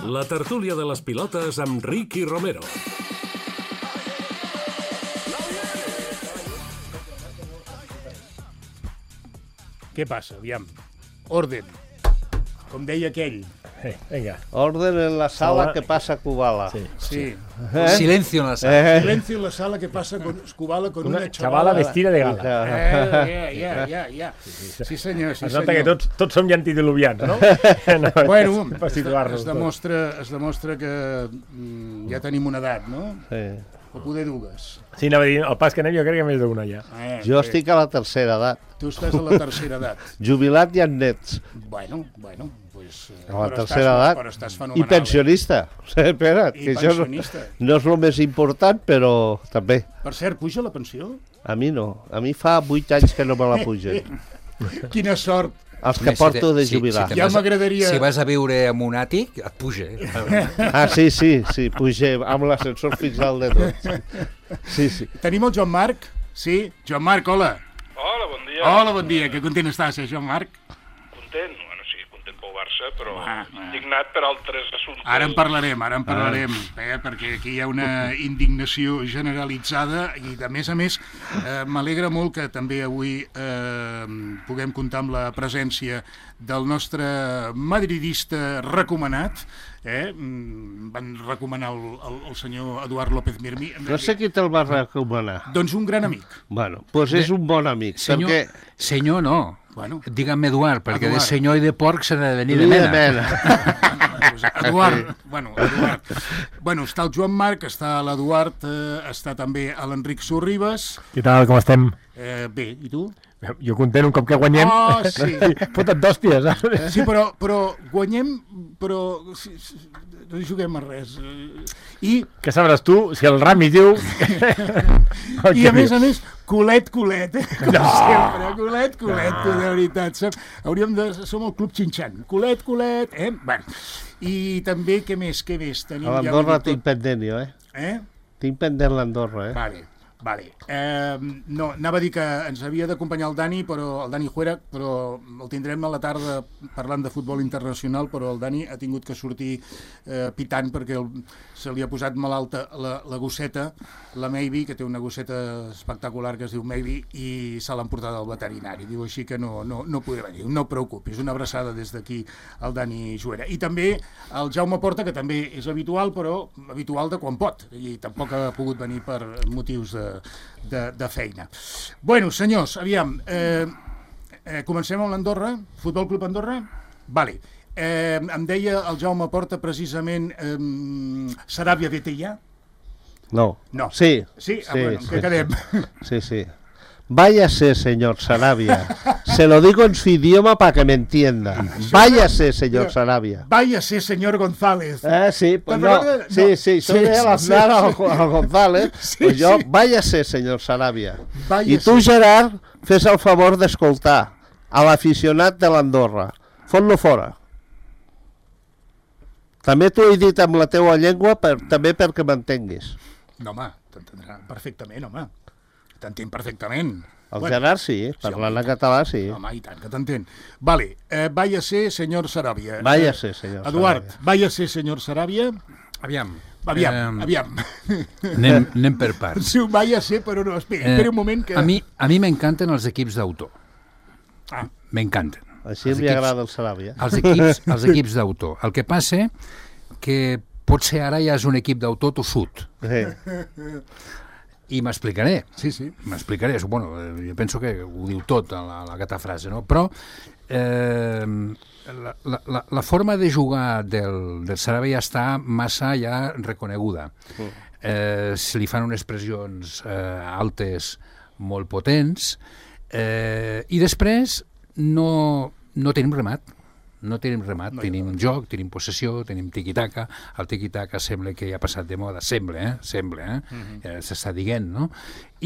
La tertúlia de les pilotes amb Ricky Romero. Què passa? Aviam. Orden. Com deia aquell. Venga. Orden en la sala que pasa Kubala. Sí. Sí. Silencio en la sala. Silencio en la sala que pasa con Kubala con una Chavala vestida de gala. Ja. Sí, senyor, sí, Es nota que senyor. tots som ja antediluvians, no? Bueno, per situar-nos es demostra que ja tenim una edat, no? Sí. O poder dues. Sí, anava a dir, el pas que anem jo crec que més d'una ja. Jo estic a la tercera edat. Tu estàs a la tercera edat. Jubilat i amb nets. Bueno, pues... A la tercera edat. Però estàs I fenomenal. pensionista. Espera't, I que això pensionista. no és el més important, però també. Per cert, puja la pensió? A mi no. A mi fa 8 anys que no me la pugen. Quina sort. Els que porto de jubilar. Ja m'agradaria... Si vas a viure en un àtic, et puja. Ah, sí, pugem amb l'ascensor fins al de tot. Sí. Tenim el Joan Marc? Sí? Joan Marc, hola. Hola, bon dia. Hola, bon dia. Que content estàs, Joan Marc? Content? Bueno, sí, content pel Barça, però Ah. indignat per altres assumptes. Ara en parlarem, perquè aquí hi ha una indignació generalitzada i, de més a més, m'alegra molt que també avui puguem comptar amb la presència del nostre madridista recomanat. Van recomanar el senyor Eduard López Mirmi. No sé qui te'l va recomanar. Doncs un gran amic. Bueno, doncs és un bon amic. Senyor, perquè... senyor no. Bueno. Digue'm Eduard, perquè Eduard. de senyor i de porc s'ha de venir de mena. Eduard. Bueno, està el Joan Marc, està l'Eduard, està també l'Enric Sorribes. Què tal, com estem? Bé, i tu? Jo content un cop que guanyem. Oh, sí. Fota't d'hòsties. Sí, però guanyem, però no juguem a res. I Què sabràs tu si el Rami diu... a més, culet, com sempre, culet, de veritat. Som el Club Xinxan. Culet, Bueno, i també, què més? Tenim A l'Andorra tinc pendent jo, Tinc pendent l'Andorra, Vale. No, anava a dir que ens havia d'acompanyar el Dani Juera, però el tindrem a la tarda parlant de futbol internacional, però el Dani ha tingut que sortir pitant perquè se li ha posat malalta la gosseta, la Maybe, que té una gosseta espectacular que es diu Maybe, i se l'han portat al veterinari. Diu així que no podrà venir. No et preocupis, una abraçada des d'aquí al Dani Juera. I també el Jaume Porta, que també és habitual, però habitual de quan pot, i tampoc ha pogut venir per motius de feina. Bueno, senyors, aviam, comencem amb l'Andorra, Futbol Club Andorra? Vale. Em deia el Jaume Porta precisament Saràbia vete ja? No. Sí? Bueno, què quedem? Sí. Váyase, señor Sarabia. Se lo digo en su idioma para que me entienda. Váyase, señor Sarabia. Váyase, señor González. Sí, pues no. Sí, eso de Aznar al González. Pues yo, váyase, señor Sarabia. I tu, Gerard, fes el favor d'escoltar a l'aficionat de l'Andorra. Fot-lo fora. També t'ho he dit amb la teua llengua, també perquè m'entenguis. No, home, t'entendrà perfectament, home. T'entenc perfectament. El Gerard sí, parlant en català sí. Home, i tant que t'entén. Vale, váyase, señor Sarabia. Váyase, señor Sarabia. Eduard, váyase, señor Sarabia. Aviam. Anem per parts. Sí, váyase, però no, espera un moment que... A mi m'encanten els equips d'autor. M'encanten. Així li agrada el Sarabia. Els equips d'autor. El que passa que potser ara ja és un equip d'autor tossut. I m'explicaré. Sí. M'explicaré. Bueno, jo penso que ho diu tot, aquesta frase, no? Però la forma de jugar del Sarabia ja està massa ja reconeguda. Se li fan unes pressions altes molt potents i després no tenim remat. Tenim joc, tenim possessió, tenim tiqui-taca. El tiqui-taca sembla que ja ha passat de moda, sembla. S'està dient, no?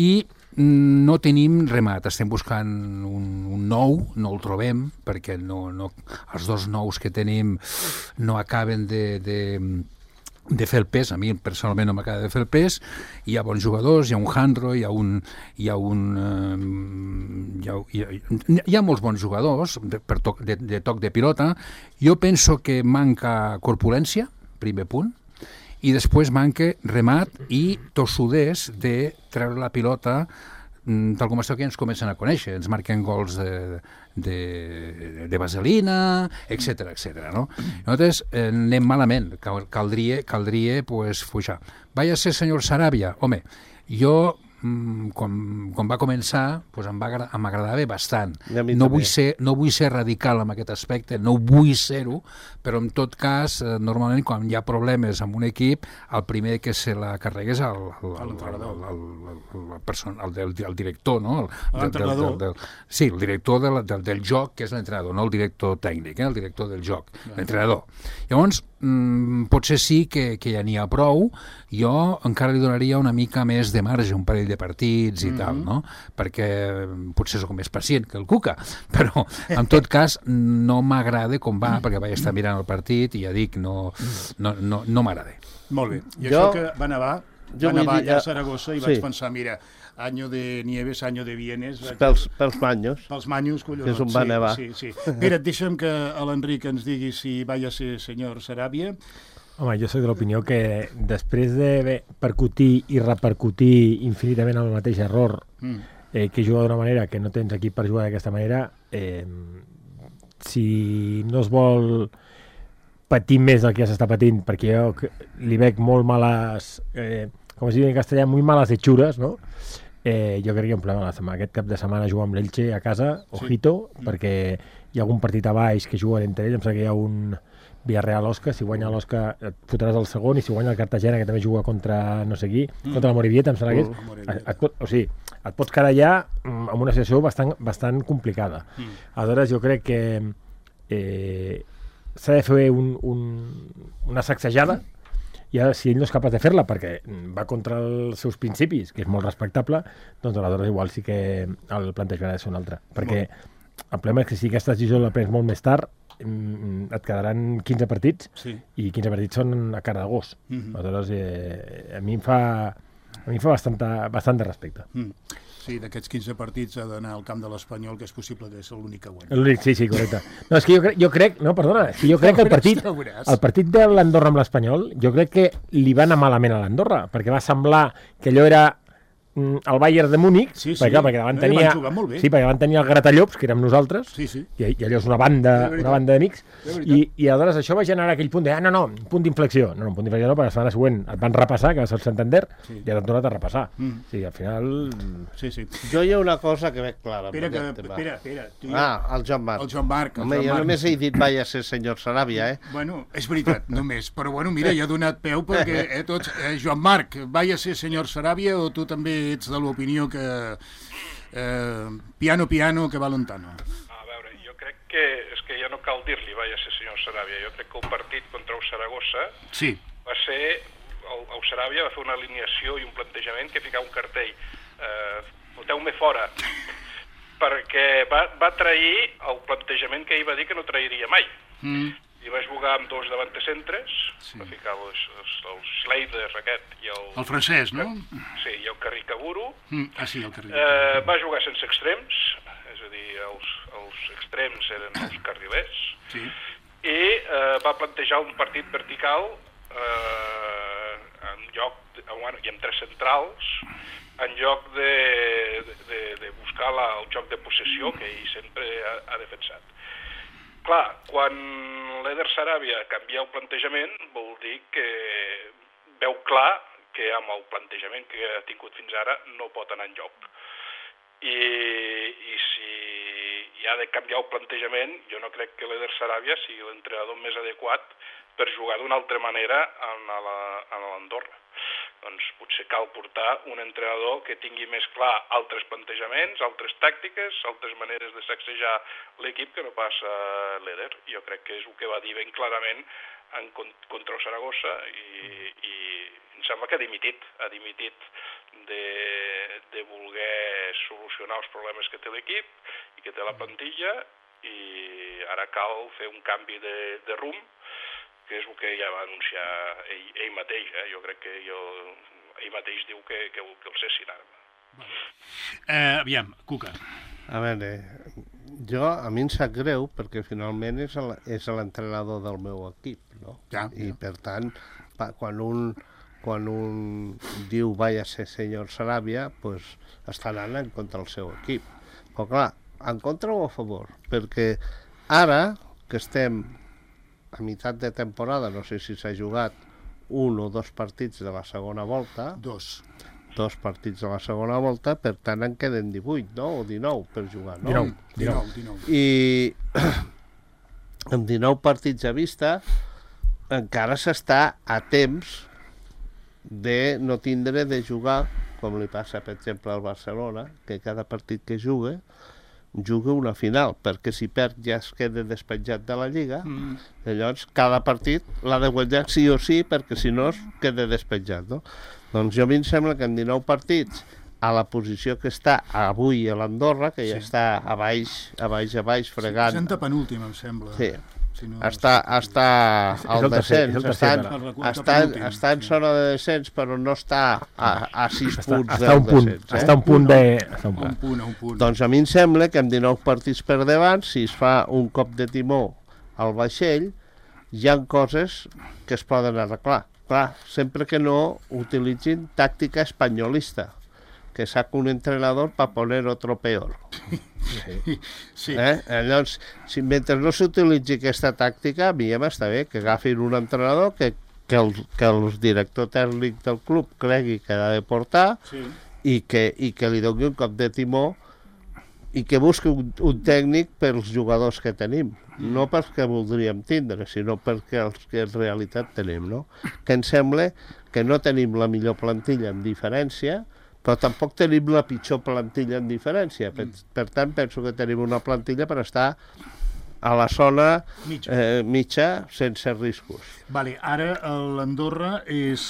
I no tenim remat, estem buscant un nou, no el trobem, perquè els dos nous que tenim no acaben de fer el pes. A mi personalment no m'acaba de fer el pes. Hi ha bons jugadors, hi ha un Jandro, hi ha molts bons jugadors de toc de pilota. Jo penso que manca corpulència, primer punt, i després manca remat i tossuders de treure la pilota tal com està que ens comencen a conèixer, ens marquen gols de vaselina, etc etc. No? Nosaltres anem malament, caldria pues, fuixar. Vaya ser senyor Saràbia, home, jo quan va començar pues m'agradava bastant. No vull ser radical en aquest aspecte, no vull ser-ho, però en tot cas, normalment quan hi ha problemes amb un equip, el primer que se la carrega és el director, no? L'entrenador. Sí, el director del joc, que és l'entrenador, no el director tècnic, el director del joc, l'entrenador. Llavors, potser sí que ja n'hi ha prou, jo encara li donaria una mica més de marge, un parell de partits i tal, no? Perquè potser soc més pacient que el Cuca, però en tot cas no m'agrada com va, perquè vaig estar mirant el partit i ja dic, no m'agrada. Molt bé, i això que va nevar allà a Saragossa i vaig pensar, mira, año de nieves, año de vienes... Pels manyos. Pels manyos, collons. Que és on va nevar. Sí. Mira, deixa'm que l'Enric ens digui si vaya a ser senyor Saràbia. Home, jo soc de l'opinió que després de percutir i repercutir infinitament el mateix error, que juga d'una manera que no tens equip per jugar d'aquesta manera, si no es vol patir més del que ja s'està patint, perquè jo li veig molt males, com es diu en castellà, muy malas hechures, no? Jo crec que hi ha un problema aquest cap de setmana jugar amb l'Elche a casa, ojito, perquè hi ha algun partit a baix que juguen entre ells, em sembla que hi ha un Villarreal-Osca, si guanya l'Osca et fotràs el segon, i si guanya el Cartagena, que també juga contra no sé qui, contra la Morivieta, em sembla que és, et pots quedar ja amb una situació bastant complicada. Aleshores jo crec que s'ha de fer una sacsejada, i ara, si ell no és capaç de fer-la perquè va contra els seus principis, que és molt respectable, doncs aleshores igual sí que el plantejament ha de ser un altre. Perquè el problema és que si aquesta decisió la prens molt més tard, et quedaran 15 partits, i 15 partits són a cara de gos. Aleshores, a mi em fa bastant de respecte. Sí, d'aquests 15 partits ha d'anar al camp de l'Espanyol, que és possible que és l'únic que guanya. L'únic, sí, correcte. No, és que jo crec que el partit de l'Andorra amb l'Espanyol, jo crec que li va anar malament a l'Andorra, perquè va semblar que allò era el Bayern de Múnich, perquè davant tenia el Gratallops, que érem nosaltres, i allò és una banda d'amics, i aleshores això va generar aquell punt de, un punt d'inflexió. No, un punt d'inflexió no, perquè la setmana següent et van repassar, que va ser el Santander, i ara et tornat a repassar. Sí, al final... Jo hi ha una cosa que veig clara. Espera. El Joan Marc. El Joan Marc. Home, jo només he dit vaya ser senyor Saràbia, Bueno, és veritat, només. Però bueno, mira, ja ha donat peu perquè tots... Joan Marc, vaya ser senyor Saràbia, o tu també ets de l'opinió que piano, que va lontano? A veure, jo crec que és que ja no cal dir-li vaya ser senyor Saràbia. Jo crec que el partit contra el Saragossa va ser... El Saràbia va fer una alineació i un plantejament que ficava un cartell. Foteu-me fora. Perquè va trair el plantejament que ell va dir que no trairia mai. I va jugar amb dos davantecentres, va ficar el Schleider aquest i el... El francès, no? Sí, i el Carricaburu. El Carricaburu. Va jugar sense extrems, és a dir, els extrems eren els carrilers, i va plantejar un partit vertical i amb tres centrals, en lloc de buscar el joc de possessió que ell sempre ha defensat. Clar, quan l'Eder Saràbia canvia el plantejament, vol dir que veu clar que amb el plantejament que ha tingut fins ara no pot anar enlloc. I si hi ha de canviar el plantejament, jo no crec que l'Eder Saràbia sigui l'entrenador més adequat per jugar d'una altra manera a l'Andorra. Doncs potser cal portar un entrenador que tingui més clar altres plantejaments, altres tàctiques, altres maneres de sacsejar l'equip que no passa l'Eder. Jo crec que és el que va dir ben clarament contra el Saragossa i em sembla que ha dimitit de voler solucionar els problemes que té l'equip i que té la plantilla, i ara cal fer un canvi de rumb, que és el que ja va anunciar ell mateix. Jo crec que ell mateix diu que el cessin ara. Aviam, Cuca. A veure, A mi em sap greu perquè finalment és l'entrenador del meu equip, no? I per tant, quan un diu vaya ser senyor Sarabia, pues està anant en contra del seu equip. Però clar, en contra o a favor? Perquè ara que estem a meitat de temporada, no sé si s'ha jugat 1 o 2 partits de la segona volta. Dos partits de la segona volta, per tant en queden 18, no? O 19 per jugar, no? 19. I amb 19 partits a vista encara s'està a temps de no tindre de jugar, com li passa per exemple al Barcelona, que cada partit que juga una final, perquè si perd ja es queda despenjat de la Lliga. Llavors cada partit l'ha de guanyar sí o sí, perquè si no es queda despenjat, no? Doncs a mi em sembla que en 19 partits, a la posició que està avui a l'Andorra, que ja està a baix, fregant... 60 penúltim, em sembla. Sí, està al descens, està en zona de descens, però no està a 6 punts del descens. Està a un punt. Doncs a mi em sembla que amb 19 partits per davant, si es fa un cop de timó al vaixell, hi ha coses que es poden arreglar. Clar, sempre que no utilitzin tàctica espanyolista, que saca un entrenador para poner otro peor. Sí. Llavors, mentre no s'utilitzi aquesta tàctica, a mi ja m'està bé que agafin un entrenador que el director tècnic del club cregui que ha de portar i que li doni un cop de timó i que busqui un tècnic pels jugadors que tenim. No perquè voldríem tindre, sinó perquè els que en realitat tenim, no? Que em sembla que no tenim la millor plantilla en diferència, però tampoc tenim la pitjor plantilla en diferència. Per tant, penso que tenim una plantilla per estar a la zona mitja sense riscos. Vale, ara l'Andorra és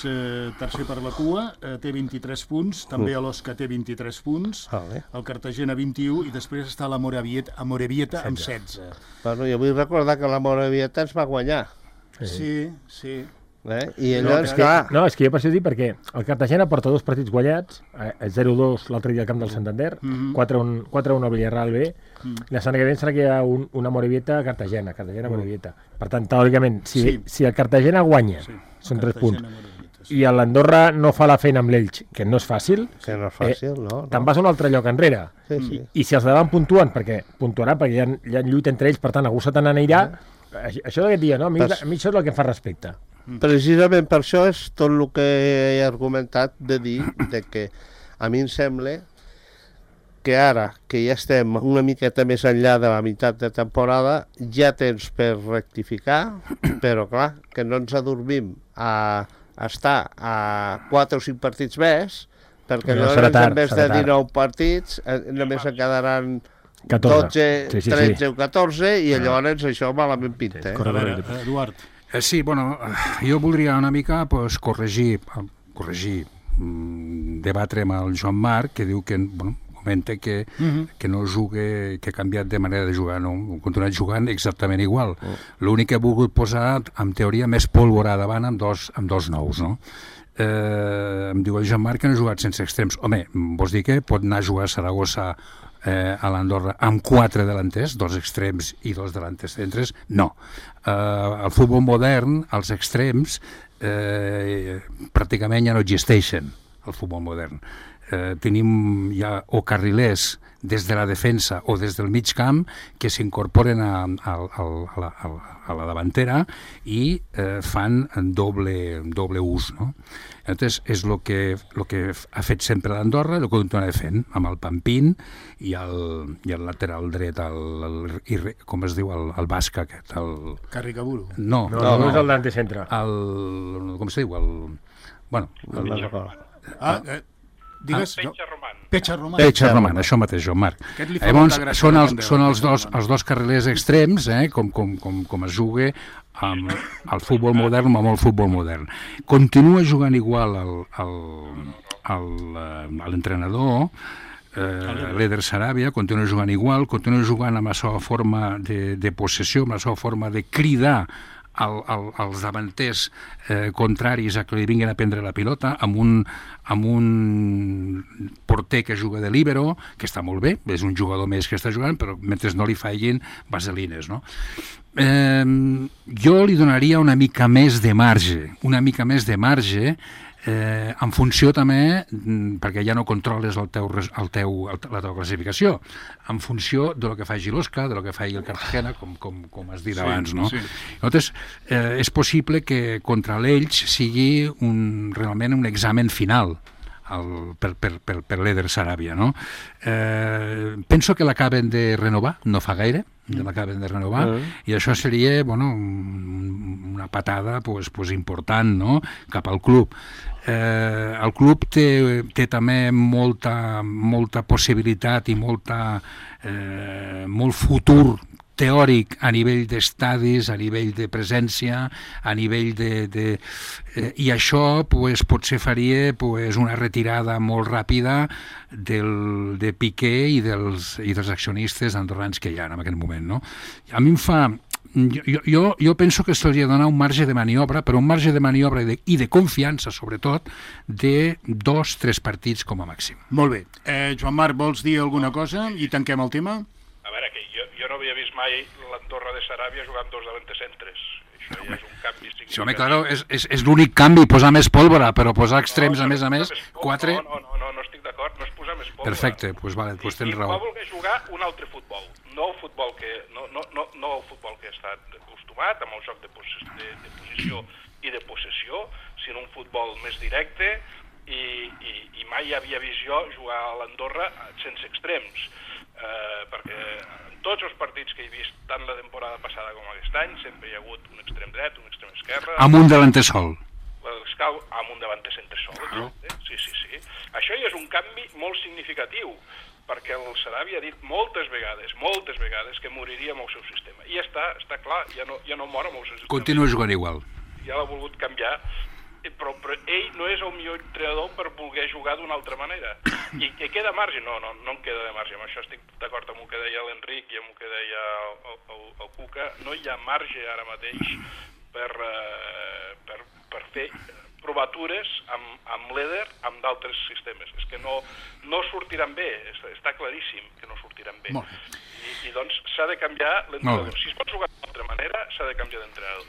tercer per la cua, té 23 punts, també l'Osca té 23 punts, el Cartagena 21 i després està la Morevieta amb 16. Bueno, jo vull recordar que la Morevieta ens va guanyar. Sí. I llavors, clar... No, és que jo per això dic perquè el Cartagena porta 2 partits guanyats, 0-2 l'altre dia al camp del Santander, 4-1 al Villarreal B, la setmana que ve serà que hi ha una Morevieta Cartagena-Morevieta. Per tant, teòricament, si el Cartagena guanya, són 3 punts, i l'Andorra no fa la feina amb l'Elx, que no és fàcil, te'n vas a un altre lloc enrere. I si els davant puntuen, perquè puntuaran, perquè hi ha lluita entre ells, per tant, algú se te n'anirà, això d'aquest dia, no? A mi això és el que em fa respecte. Precisament per això és tot el que he argumentat de dir que a mi em sembla que ara que ja estem una miqueta més enllà de la meitat de temporada ja tens per rectificar, però clar, que no ens adormim a estar a 4 o 5 partits més, perquè llavors en vez de 19 partits només en quedaran 12, 13 o 14 i llavors això malament pinta. A veure, Eduard. Sí, bueno, jo voldria una mica corregir, debatre amb el Joan Marc, que diu que, bueno, comenta que no jugue, que ha canviat de manera de jugar, no? Ha continuat jugant exactament igual. L'únic que he volgut posar, en teoria, més pólvora davant amb dos nous, no? Em diu el Joan Marc que no ha jugat sense extrems. Home, vols dir que pot anar a jugar a Saragossa a l'Andorra amb 4 delanters, 2 extrems i 2 delanters centres? No. Al futbol modern, els extrems pràcticament ja no existeixen al futbol modern. Tenim ja o carrilers des de la defensa o des del mig camp que s'incorporen a la davantera i fan doble ús, no? Entonces, és el que ha fet sempre l'Andorra, el que continuarà fent, amb el Pampín i el lateral dret, com es diu, el basc aquest, el... Carricaburu. No, és el d'antecentre. Com es diu? Digues, Pecha Roman, això mateix, Joan Marc. Llavors, són els dos carrilers extrems, com es juga al futbol modern o amb el futbol modern. Continua jugant igual l'entrenador, l'Eder Sarabia, continua jugant igual, continua jugant amb la seva forma de possessió, amb la seva forma de cridar als davanters contraris a que li vinguin a prendre la pilota, amb un porter que juga de líbero, que està molt bé, és un jugador més que està jugant, però mentre no li fallin vaselines, no? Jo li donaria una mica més de marge, en funció també, perquè ja no controles la teva classificació, en funció de lo que faci l'Osca, de lo que faci el Cartagena, com has dit abans, no? Llavors, és possible que contra l'Elx sigui realment un examen final per l'Eder Sarabia, no? Penso que l'acaben de renovar, no fa gaire, l'acaben de renovar, i això seria, una patada important, no?, cap al club. El club té també molta possibilitat i molt futur teòric a nivell d'estadis, a nivell de presència, a nivell i això potser faria una retirada molt ràpida de Piqué i dels accionistes andorrans que hi ha en aquest moment, no? A mi em fa... Jo penso que se li ha de donar un marge de maniobra, però un marge de maniobra i de confiança, sobretot, de 2-3 partits com a màxim. Molt bé. Joan Marc, vols dir alguna cosa i tanquem el tema? A veure, que jo no havia vist mai l'Andorra de Saràbia jugant dos davantecentres. Això ja és un canvi significatiu. Sí, home, claro, és l'únic canvi, posar més pólvora, però posar extrems, a més, 4... No estic d'acord, no és posar més pólvora. Perfecte, doncs tens raó. I va voler jugar un altre futbol, no el futbol que ha estat acostumat, amb el joc de posició i de possessió, sinó un futbol més directe, i mai havia vist jo jugar a l'Andorra sense extrems, perquè en tots els partits que he vist, tant la temporada passada com aquest any, sempre hi ha hagut un extrem dret, un extrem esquerre... Amb un davanter sol. Amb un davanter centre sol, exacte. Sí. Això ja és un canvi molt significatiu, perquè el Saràbia ha dit moltes vegades que moriria amb el seu sistema. I ja està clar, ja no mor amb el seu sistema. Continua jugant igual. Ja l'ha volgut canviar, però ell no és el millor entrenador per voler jugar d'una altra manera. I que queda marge? No em queda de marge. Amb això estic d'acord amb el que deia l'Enric i amb el que deia el Cuca. No hi ha marge ara mateix per fer provatures amb l'Eder, amb d'altres sistemes. És que no sortiran bé, està claríssim que no sortiran bé. I doncs s'ha de canviar l'entrenador. Si es pot jugar d'una altra manera, s'ha de canviar d'entrenador.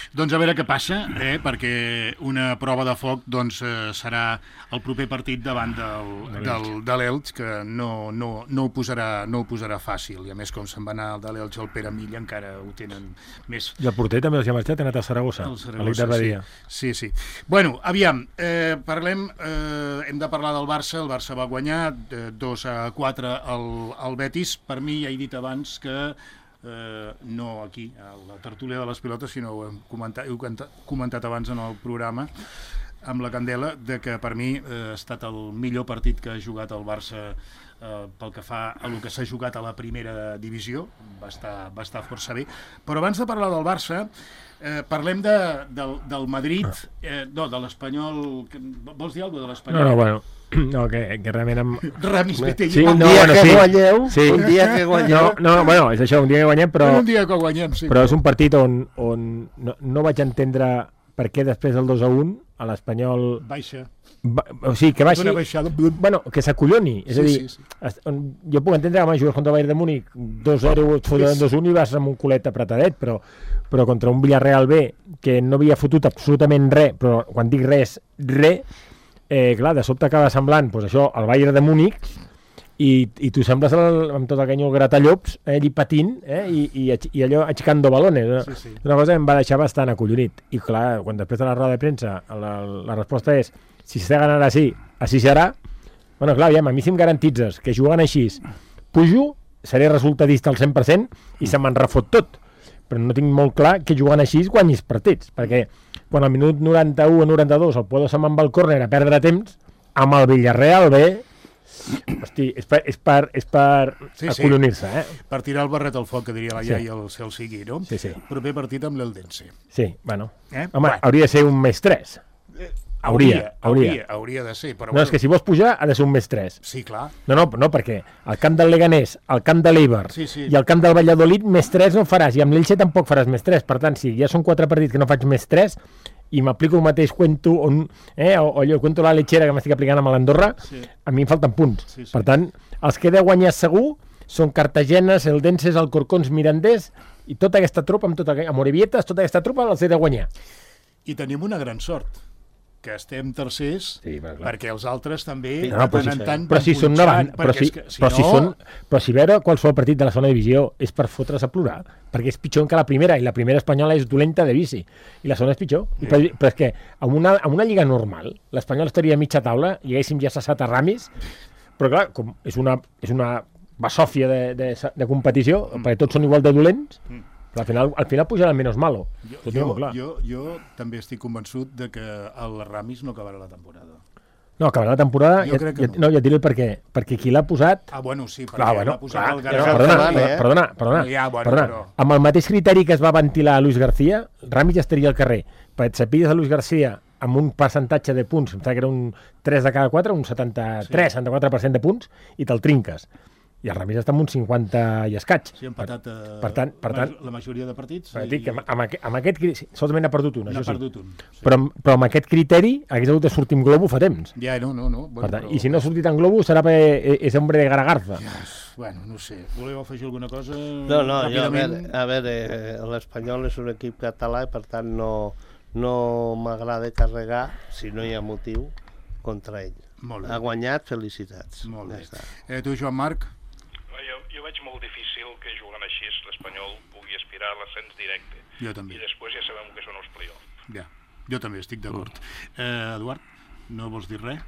Doncs a veure què passa, perquè una prova de foc serà el proper partit davant de l'Elx, que no ho posarà fàcil, i a més com se'n va anar de l'Elx al Pere Milla encara ho tenen més... I el porter també els ha marxat, ha anat a Saragossa, a l'Ictar Badia. Sí. Bueno, aviam, parlem, hem de parlar del Barça. El Barça va guanyar 2-4 al Betis. Per mi, ja he dit abans que no aquí, a la tertúlia de les pilotes, sinó ho heu comentat abans en el programa amb la Candela, de que per mi ha estat el millor partit que ha jugat el Barça pel que fa a el que s'ha jugat a la primera divisió. Va estar força bé. Però abans de parlar del Barça, parlem del Madrid, de l'Espanyol. Vols dir alguna cosa de l'Espanyol? No, bueno, que realment... Ramis Petegui. Sí, un dia que guanyeu. No, bueno, és això, un dia que guanyem, però... Un dia que guanyem, sí. Però és un partit on no vaig entendre per què després del 2-1 a l'Espanyol... Baixa. O sigui, que baixi... Bueno, que s'acolloni. És a dir, jo puc entendre que mai jugues contra el Bayern de Múnich 2-0, et foten 2-1 i vas amb un culet apretadet, però contra un Villarreal B, que no havia fotut absolutament res, però quan dic res, clar, de sobte acaba semblant, doncs això, el Bayern de Múnich, i tu sembles amb tot el canyó el gratallops, allí patint, i allò aixecando balones. Sí. Una cosa em va deixar bastant acollonit. I clar, quan després de la roda de premsa la resposta és: si s'ha d'anar així serà. Bueno, clar, a mi si em garantitzes que jugant així pujo, seré resultadista al 100% i se me'n refot tot. Però no tinc molt clar que jugant així guanyis partits, perquè quan al minut 91 o 92 el Puedo se'n va al córner a perdre temps, amb el Villarreal B, hosti, és per acollonir-se, Per tirar el barret al foc, que diria la iaia el cel sigui, no? Sí. Proper partit amb l'Eldense. Sí, bueno. Home, hauria de ser un més 3. Hauria de ser. Però no, és que si vols pujar ha de ser un +3. Sí, clar. No, perquè el camp del Leganés, el camp de l'Eibar i el camp del Valladolid +3 no faràs, i amb l'Elche tampoc faràs +3. Per tant, si ja són 4 partits que no faig +3 i m'aplico el mateix cuento o allò, cuento la lechera que m'estic aplicant amb l'Andorra, a mi em falten punts. Per tant, els que he de guanyar segur són Cartagenes, Eldenses, Alcorcons, Mirandés, i tota aquesta tropa, amb Morevietes, tota aquesta tropa els he de guanyar. I tenim una gran sort, que estem tercers, perquè els altres també però si són davant, però si veure qualsevol partit de la segona divisió és per fotre's a plorar, perquè és pitjor que la primera, i la primera espanyola és dolenta de bici, i la segona és pitjor. Però és que en una lliga normal l'Espanyol estaria a mitja taula i haguéssim ja cessat a Ramis, però clar, com és una basòfia de competició, perquè tots són igual de dolents, al final pujarà el menos malo. Jo també estic convençut de que el Ramis no acabarà la temporada. No, acabarà la temporada, ja et diré el per què. Perquè qui l'ha posat... Sí, perquè l'ha posat el García. Perdona. Amb el mateix criteri que es va ventilar a Luis García, Ramis ja estaria al carrer. Perquè et sapigues a Luis García amb un percentatge de punts, em sembla que era un 3 de cada 4, un 74% de punts, i te'l trinques. I el Ramis està amb un 50 i escaig. Sí, empatat per tant, la majoria de partits. Dic que amb aquest solament n'ha perdut un, això sí. Un. Però amb aquest criteri hagués hagut de sortir en globo fa temps. Ja, no. I si no ha sortit en globo serà perquè és hombre de Garagarza. Bueno, no sé. Voleu afegir alguna cosa? No, a veure, l'Espanyol és un equip català i per tant no m'agrada carregar, si no hi ha motiu, contra ell. Ha guanyat, felicitats. Molt bé. Tu, Joan Marc? Jo veig molt difícil que jugant així l'Espanyol pugui aspirar a l'ascens directe. Jo també. I després ja sabem que són els play-offs. Ja, jo també estic d'acord. Eduard, no vols dir res?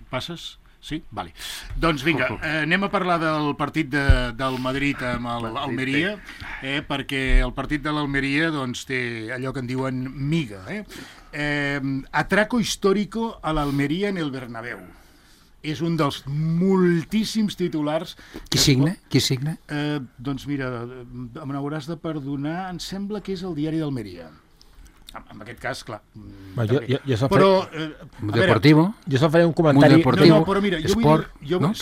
Passes? Sí? Vale. Doncs vinga, anem a parlar del partit del Madrid amb l'Almeria, perquè el partit de l'Almeria doncs, té allò que en diuen miga. Atraco histórico a l'Almeria en el Bernabéu. És un dels moltíssims titulars... Qui signa? Doncs mira, m'hauràs de perdonar, em sembla que és el diari d'Almeria. En aquest cas, clar. Però... Deportivo? Jo se'l faré un comentari... No, però mira, jo vull dir... No,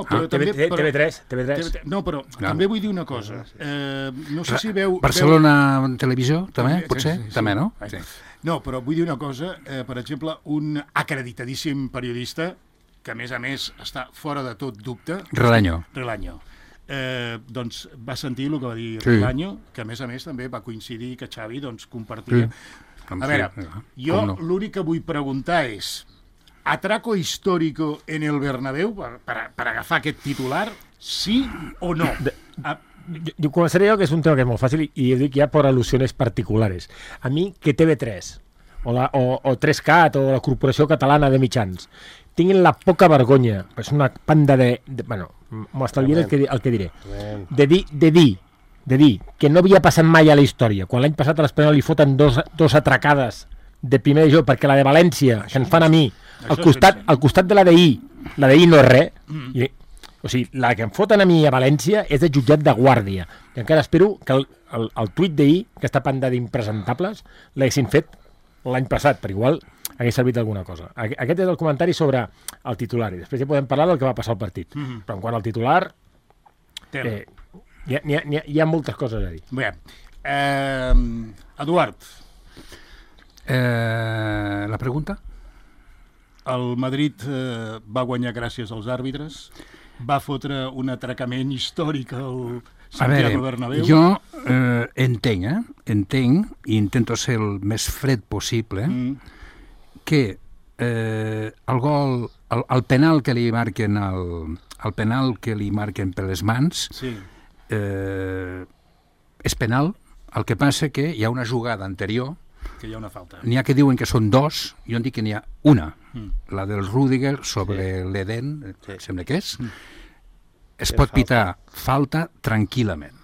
però també... TV3. No, però també vull dir una cosa. No sé si veu... Barcelona Televisió, també, potser? També, no? No, però vull dir una cosa. Per exemple, un acreditadíssim periodista que a més està fora de tot dubte... Relaño. Doncs va sentir el que va dir Relaño, que a més també va coincidir que Xavi compartia. A veure, jo l'únic que vull preguntar és: atraco histórico en el Bernabéu per agafar aquest titular, sí o no? Jo començaré que és un tema que és molt fàcil i ho dic ja per al·lusions particulars. A mi, que TV3 o 3CAT o la Corporació Catalana de Mitjans tinguin la poca vergonya, és una panda bueno, m'estalviaré el que diré, de dir que no havia passat mai a la història, quan l'any passat a l'Espanyol li foten dos atracades de primer divisió, perquè la de València, que ens fan a mi, al costat de la d'ahir no és res, o sigui, la que em foten a mi a València és de jutjat de guàrdia, i encara espero que el tuit d'ahir, aquesta panda d'impresentables, l'haguessin fet l'any passat, per igual hagués servit alguna cosa. Aquest és el comentari sobre el titular, i després ja podem parlar del que va passar al partit. Però en quant al titular, hi ha moltes coses a dir. Bé, Eduard. La pregunta? El Madrid va guanyar gràcies als àrbitres, va fotre un atracament històric al Santiago Bernabéu. Jo entenc, i intento ser el més fred possible, que el gol, el penal que li marquen el penal que li marquen per les mans és penal. El que passa que hi ha una jugada anterior, que hi ha una falta. N'hi ha que diuen que són dos, jo en dic que n'hi ha una, la del Rüdiger sobre l'Eden, sembla que és. Es pot pitar falta tranquil·lament,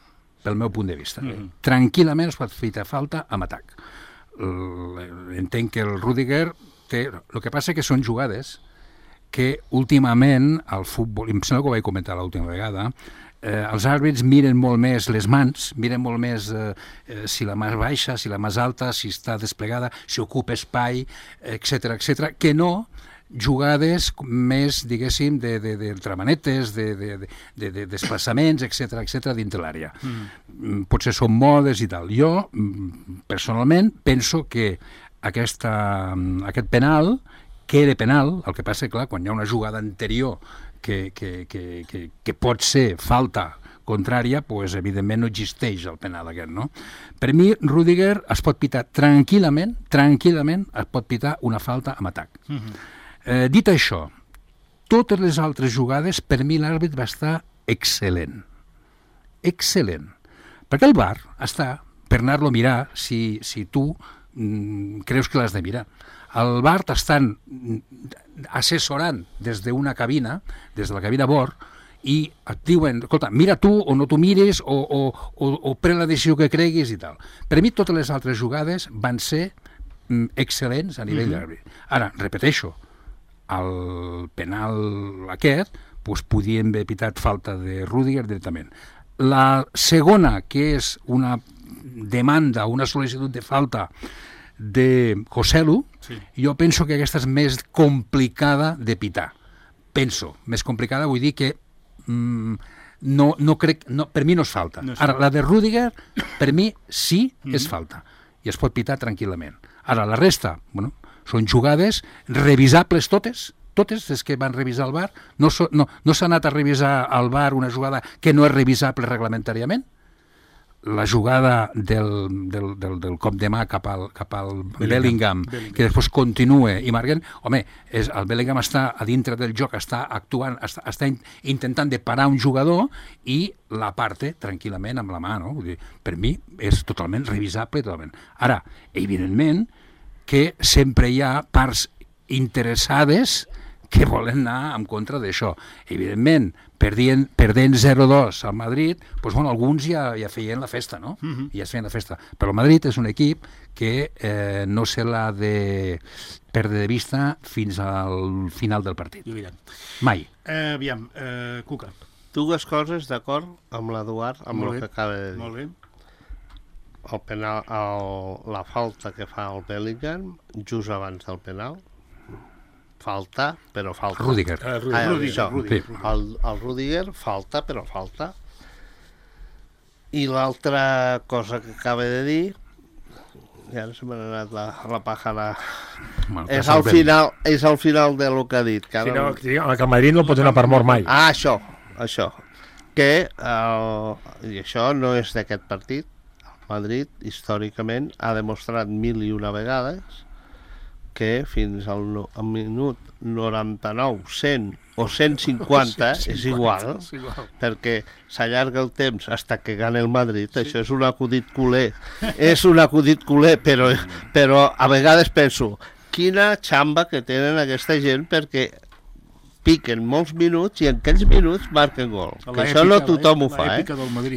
pel meu punt de vista. Tranquil·lament es pot pitar falta amb atac. Entenc que el Rüdiger té... El que passa que són jugades que últimament al futbol, em sembla que ho vaig comentar l'última vegada, els àrbits miren molt més les mans, miren molt més si la mà és baixa, si la mà és alta, si està desplegada, si ocupa espai, etc, que no jugades més, diguéssim, d'entramanetes, de desplaçaments, etc dintre l'àrea. Potser són modes i tal. Jo, personalment, penso que aquest penal, que era penal, el que passa, clar, quan hi ha una jugada anterior que pot ser falta contrària, doncs evidentment no existeix el penal aquest, no? Per mi, Rüdiger es pot pitar tranquil·lament, es pot pitar una falta amb atac. Dit això, totes les altres jugades, per mi l'àrbit va estar excel·lent. Excel·lent. Perquè el VAR està per anar-lo a mirar si tu creus que l'has de mirar. El VAR t'estan assessorant des d'una cabina, des de la cabina bord, i et diuen, escolta, mira tu o no tu mires o pren la decisió que creguis i tal. Per mi totes les altres jugades van ser excel·lents a nivell d'àrbit. Ara, repeteixo, el penal aquest podien haver pitat falta de Rüdiger directament. La segona, que és una demanda, una sol·licitud de falta de Joselu, jo penso que aquesta és més complicada de pitar. Penso, més complicada, vull dir que no crec, per mi no és falta. Ara, la de Rüdiger, per mi sí és falta, i es pot pitar tranquil·lament. Ara, la resta, bueno, són jugades revisables totes les que van revisar el VAR. No s'ha anat a revisar al VAR una jugada que no és revisable reglamentàriament. La jugada del cop de mà cap al Bellingham, que després continua i marquen, home, el Bellingham està a dintre del joc, està actuant, està intentant de parar un jugador i l'aparte tranquil·lament amb la mà, no? Vull dir, per mi és totalment revisable, totalment. Ara, evidentment que sempre hi ha parts interessades que volen anar en contra d'això. Evidentment, perdent 0-2 al Madrid, doncs, bueno, alguns ja feien la festa, no? Ja es feien la festa. Però el Madrid és un equip que no se l'ha de perdre de vista fins al final del partit. Mai. Aviam, Cuca. Dues coses d'acord amb l'Eduard, amb el que acaba de dir. Molt bé. El penal, la falta que fa el Bellingham just abans del penal, falta, però falta. Rüdiger. Rüdiger. El Rüdiger falta, però falta. I l'altra cosa que acaba de dir, i ara se m'ha anat la pàjara, és al final de lo que ha dit. Que el Madrid no pot donar per mort mai. Això. Que, i això no és d'aquest partit, el Madrid històricament ha demostrat 1001 vegades que fins al minut 99, 100 o 150 és igual, perquè s'allarga el temps fins que gana el Madrid. Això és un acudit culer, però a vegades penso, quina xamba que tenen aquesta gent, perquè piquen molts minuts i en aquells minuts marquen gol. Que això no tothom ho fa,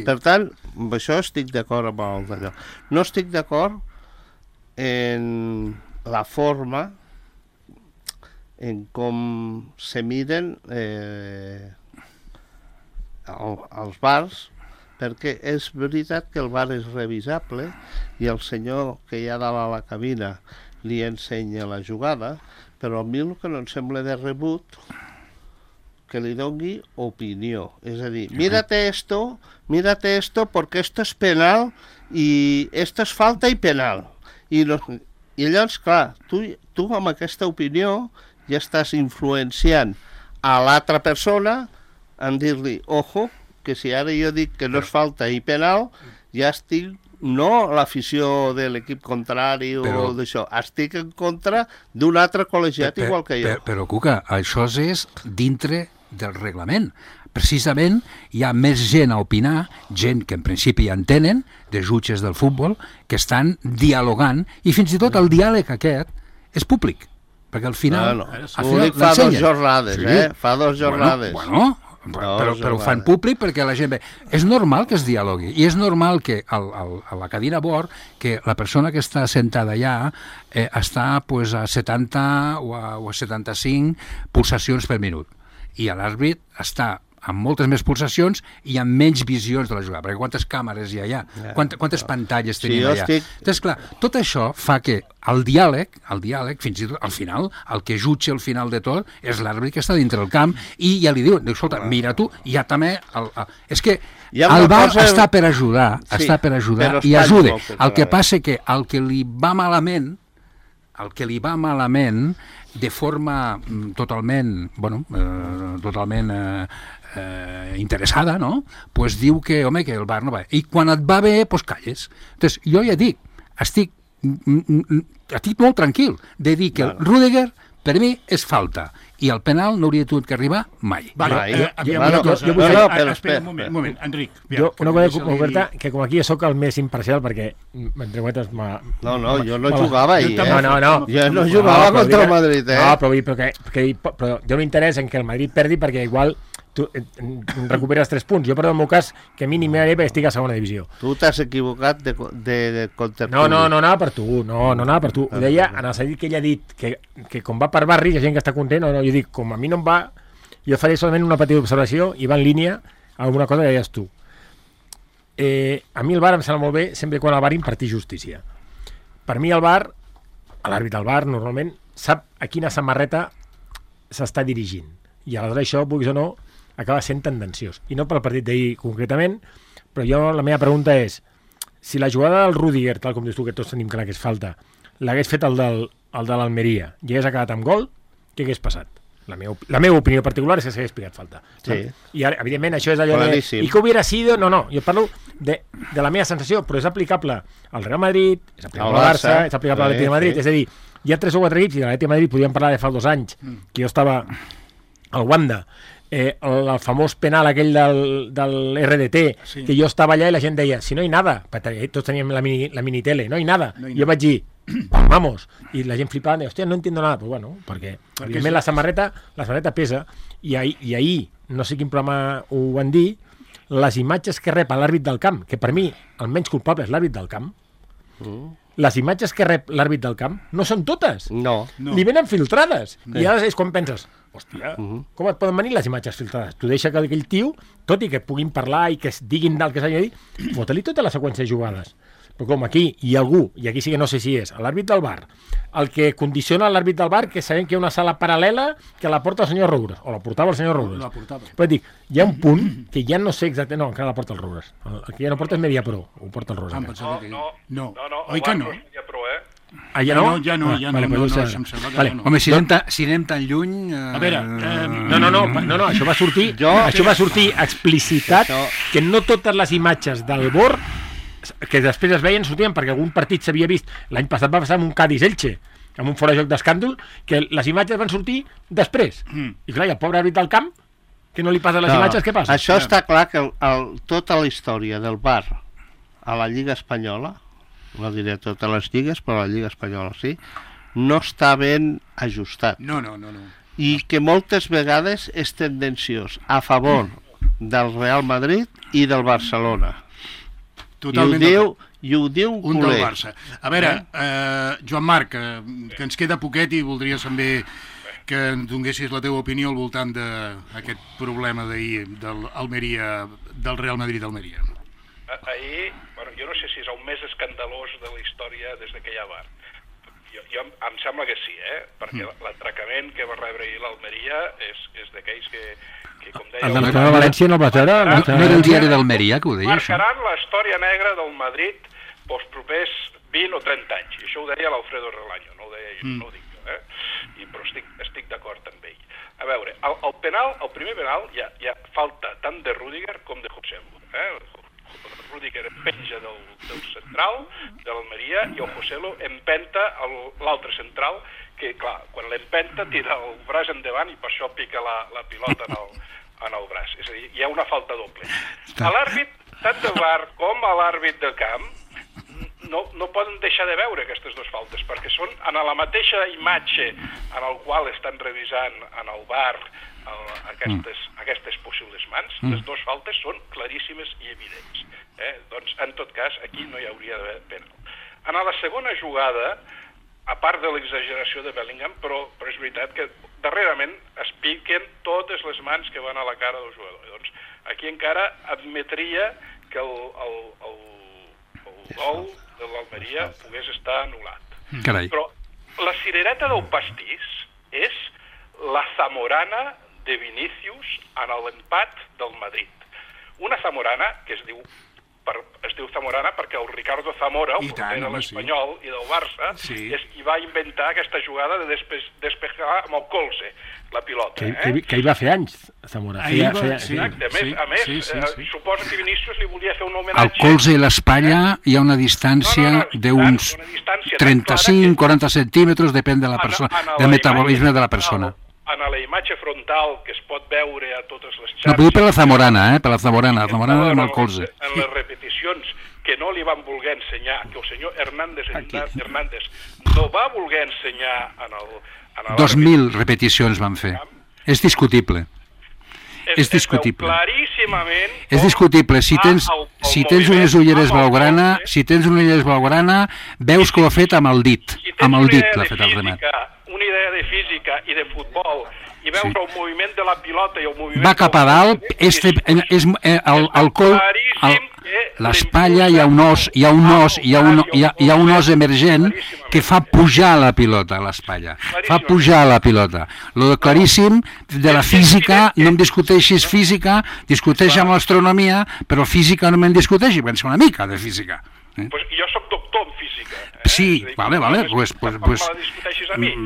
Per tant, amb això estic d'acord amb el d'allò. No estic d'acord en la forma en com se miren els VARs, perquè és veritat que el VAR és revisable i el senyor que hi ha dalt a la cabina li ensenya la jugada, però a mi el que no em sembla de rebut que li doni opinió. És a dir, mírate esto porque esto es penal y esto es falta y penal. I llavors, clar, tu amb aquesta opinió ja estàs influenciant a l'altra persona en dir-li, ojo, que si ara jo dic que no és falta i penal, ja estic, no l'afició de l'equip contrari o d'això, estic en contra d'un altre col·legiat igual que jo. Però, Cuca, això és dintre del reglament. Precisament hi ha més gent a opinar, gent que en principi ja entenen, de jutges del futbol, que estan dialogant, i fins i tot el diàleg aquest és públic, perquè al final... Fa 2 jornades, fa 2 jornades. Però ho fan públic perquè la gent ve. És normal que es dialogui, i és normal que a la cadira bord, que la persona que està sentada allà està a 70 o a 75 pulsacions per minut, i l'àrbit està amb moltes més pulsacions i amb menys visions de la jugada, perquè quantes càmeres hi ha, quantes pantalles tenim allà. Entonces, clar, tot això fa que el diàleg, fins i tot al final, el que jutja al final de tot és l'àrbitre que està dintre del camp i ja li diu, escolta, mira tu, ja també... És que el VAR està per ajudar, i ajuda. El que passa que el que li va malament, de forma totalment, interessada, no? Pues diu que, home, que el VAR no va bé. I quan et va bé, pues calles. Entonces, jo ja dic, estic molt tranquil de dir que el Rüdiger, per mi, és falta. I el penal no hauria tingut que arribar mai. Espera, un moment, Enric. Jo, una cosa concreta, que com aquí sóc el més imparcial, perquè, entre cometes... No, jo no jugava ahir, No. Jo no jugava contra el Madrid, No, però hi ha un interès en que el Madrid perdi, perquè igual tu recuperes 3 punts. Jo, però en el meu cas, que mínim perquè estic a segona divisió. Tu t'has equivocat de contertuli. No anava per tu, no anava per tu. Ho deia en el sentit que ell ha dit que com va per barris hi ha gent que està content, jo dic, com a mi no em va, jo faré solament una petita observació i va en línia a alguna cosa que deies tu. A mi el VAR em sembla molt bé sempre quan el VAR imparteix justícia. Per mi el VAR, l'àrbitre del VAR normalment sap a quina samarreta s'està dirigint. I aleshores això, vulguis o no, acaba sent tendenciós. I no pel partit d'ahir concretament, però la meva pregunta és, si la jugada del Rüdiger, tal com dius tu, que tots tenim clar que és falta, l'hagués fet el de l'Almeria i hagués acabat amb gol, què hagués passat? La meva opinió particular és que s'hagués picat falta. Sí. I ara, evidentment, això és allò de... I que hubiera sido... No, jo parlo de la meva sensació, però és aplicable al Real Madrid, és aplicable al Barça, és aplicable a l'Atlètic de Madrid. És a dir, hi ha 3 o 4 equips, i de l'Atlètic de Madrid podíem parlar de fa 2 anys, que jo estava al Wanda, el famós penal aquell del RDT, que jo estava allà i la gent deia, si no hi nada, tots teníem la minitele, no hi nada. Jo vaig dir, vamos, i la gent flipava, hòstia, no entiendo nada, pues bueno, perquè evidentment la samarreta pesa, i ahir, no sé quin programa ho van dir, les imatges que rep l'àrbit del camp, que per mi el menys culpable és l'àrbit del camp, les imatges que rep l'àrbit del camp no són totes. No. Li venen filtrades. I ara és quan penses, hòstia, com et poden venir les imatges filtrades? Tu deixa que aquell tio, tot i que puguin parlar i que es diguin del que s'ha de dir, fota-li tota la seqüència de jugades. Però com aquí hi ha algú, i aquí sí que no sé si és, l'àrbit del VAR, el que condiciona l'àrbit del VAR, que sabem que hi ha una sala paral·lela que la porta el senyor Roures, o la portava el senyor Roures. Però dic, hi ha un punt que ja no sé exactament... No, encara la porta el Roures. El que ja no porta és Mediapro, ho porta el Roures. No. Oi que no? Ja no? Ja no, em sembla que no. Home, si anem tan lluny... A veure... No, això va sortir explicitat, que no totes les imatges del VAR que després es veien sortien perquè algun partit s'havia vist, l'any passat va passar amb un Cádiz-Elche, amb un fora-joc d'escàndol, que les imatges van sortir després. I clar, i el pobre àrbit del camp, que no li passa les imatges, què passa? Això està clar que tota la història del VAR a la Lliga Espanyola, no diré totes les lligues, però la Lliga Espanyola sí, no està ben ajustat. No. I que moltes vegades és tendenciós a favor del Real Madrid i del Barcelona. Totalment i ho diu un del Barça. A veure, Joan Marc, que ens queda poquet i voldria també que ens donessis la teva opinió al voltant d'aquest problema d'ahir del Real Madrid-Almeria. Ahir, jo no sé si és el més escandalós de la història des que hi ha VAR. Jo em sembla que sí, perquè l'atracament que va rebre ahir l'Almeria és d'aquells que com deia... El de la València no va veure? No era el diari d'Almeria que ho deia, això? Marcaran la història negra del Madrid pels propers 20 o 30 anys. I això ho deia l'Alfredo Relaño, no ho deia jo, no ho dic jo, però estic d'acord amb ell. A veure, el primer penal hi ha falta tant de Rüdiger com de Joselu. Rüdiger penja del central de l'Almeria i el Joselu empenta l'altre central, que clar, quan l'empenta tira el braç endavant i per això pica la pilota en el braç. És a dir, hi ha una falta doble. A l'àrbit, tant de VAR com a l'àrbit de camp, no poden deixar de veure aquestes dues faltes, perquè són en la mateixa imatge en el qual estan revisant en el VAR aquestes possibles mans. Les dues faltes són claríssimes i evidents. Doncs, en tot cas, aquí no hi hauria d'haver penal. En la segona jugada, a part de l'exageració de Bellingham, però és veritat que darrerament es piquen totes les mans que van a la cara del jugador. Doncs aquí encara admetria que el gol de l'Almeria pogués estar anul·lat. Carai. Però la cirereta del pastís és la Zamorana de Vinícius en l'empat del Madrid. Una Zamorana que es diu Zamorana perquè el Ricardo Zamora, el porter de l'Espanyol i del Barça, és qui va inventar aquesta jugada de despejar amb el colze la pilota. Que hi va fer anys, Zamora. A més, suposo que Vinícius li volia fer un homenatge... Al colze i l'espatlla hi ha una distància d'uns 35-40 centímetres, depèn de la persona, del metabolisme de la persona. En la imatge frontal que es pot veure a totes les xarxes... No, però per la Zamorana, per la Zamorana amb el colze. En les repeticions que no li van voler ensenyar, que el senyor Hernández no va voler ensenyar en el... 2.000 repeticions van fer. És discutible. És discutible. Claríssimament... És discutible. Si tens unes ulleres blaugrana, veus que ho ha fet amb el dit. Amb el dit l'ha fet el remat. Una idea de física i de futbol i veure el moviment de la pilota i el moviment... Va cap a dalt, el col, l'espatlla, hi ha un os emergent que fa pujar la pilota a l'espatlla. Fa pujar la pilota. Lo claríssim de la física, no em discuteixis física, discuteix amb l'astronomia, però física no me'n discuteixi, pensa una mica de física. Jo soc doctor en física. Sí, vale. Pues me la discuteixis a mi. És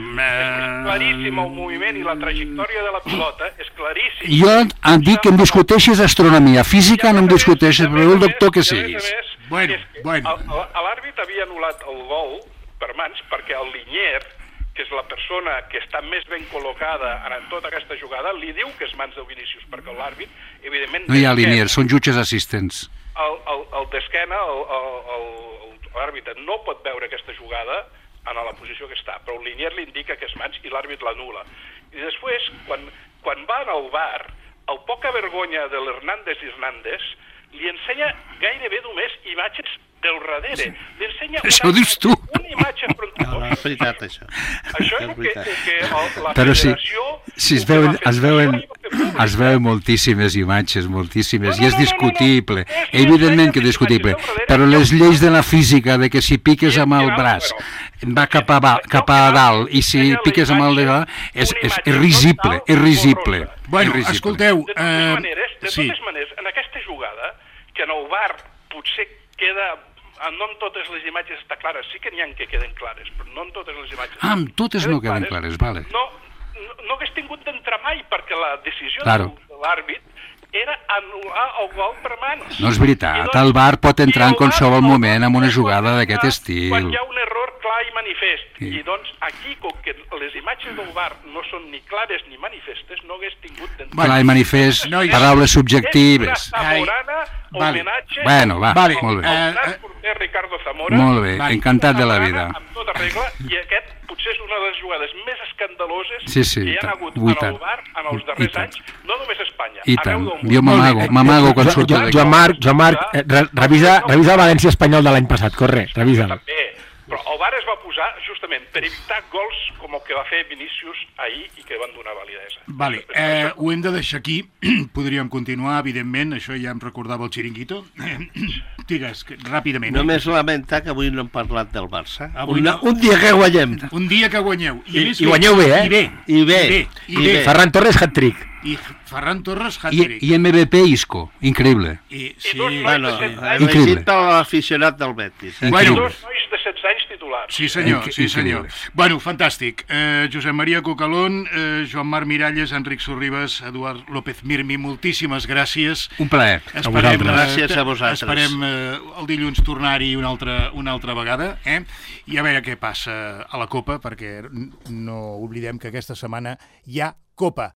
claríssim el moviment i la trajectòria de la pilota, és claríssim. Jo em dic que em discuteixis astronomia, física no em discuteixis, però el doctor que siguis. L'àrbit havia anul·lat el gol per mans perquè el Linier, que és la persona que està més ben col·locada en tota aquesta jugada, li diu que és mans de Vinícius, perquè l'àrbit, evidentment... No hi ha Linier, són jutges assistents. El d'esquena, l'àrbitre no pot veure aquesta jugada en la posició que està, però el Linier li indica que és mans i l'àrbit l'anul·la. I després, quan va al VAR, el poca vergonya de l'Hernández li ensenya gairebé només imatges del darrere. Li ensenya una imatge frontal. És veritat, això. Això és el que la Però federació... Sí, es veuen moltíssimes imatges, i és discutible, evidentment que és discutible, però les lleis de la física, de que si piques amb el braç va cap a dalt i si piques amb el de dalt, és risible. Bueno, escolteu... De totes maneres, en aquesta jugada, que en el VAR potser queda... No en totes les imatges està clares, sí que n'hi ha que queden clares, però no en totes les imatges... En totes no queden clares, vale. No hagués tingut d'entrar mai, perquè la decisió de l'àrbit era anul·lar el gol per mans. No és veritat, el VAR pot entrar en qualsevol moment amb una jugada d'aquest estil. Quan hi ha un error clar i manifest. I doncs aquí, com que les imatges del VAR no són ni clares ni manifestes, no hagués tingut d'entrar. Clar i manifest, paraules subjectives. És una Zamorana, homenatge... Bueno, va, molt bé. El gran porter Ricardo Zamora. Molt bé, encantat de la vida. Amb tota regla, i aquest potser és una de les jugades més escandaloses que hi ha hagut en el VAR en els darrers anys, no només a Espanya. I tant, jo m'amago quan surto d'aquí. Joan Marc, revisa el València Espanyol de l'any passat, corre, revisa'l. També, però el VAR es va posar justament per evitar gols com el que va fer Vinícius ahir i que van donar validesa. Vale, ho hem de deixar aquí, podríem continuar, evidentment, això ja em recordava el Chiringuito. Digues, ràpidament. Només lamentar que avui no hem parlat del Barça. Un dia que guanyem. Un dia que guanyeu. I guanyeu bé, eh? I bé. Ferran Torres, hat-trick. I Ferran Torres, hat-trick. I MVP Isco, increïble. Increïble. L'aficionat del Betis. Bueno, dos nois de 16 anys titulars. Sí, senyor. Bueno, fantàstic. Josep Maria Cocalón, Joan Marc Miralles, Enric Sorribas, Eduard López Mirmi, moltíssimes gràcies. Un plaer. Gràcies a vosaltres. Esperem el dilluns tornar-hi una altra vegada, i a veure què passa a la Copa, perquè no oblidem que aquesta setmana hi ha Copa.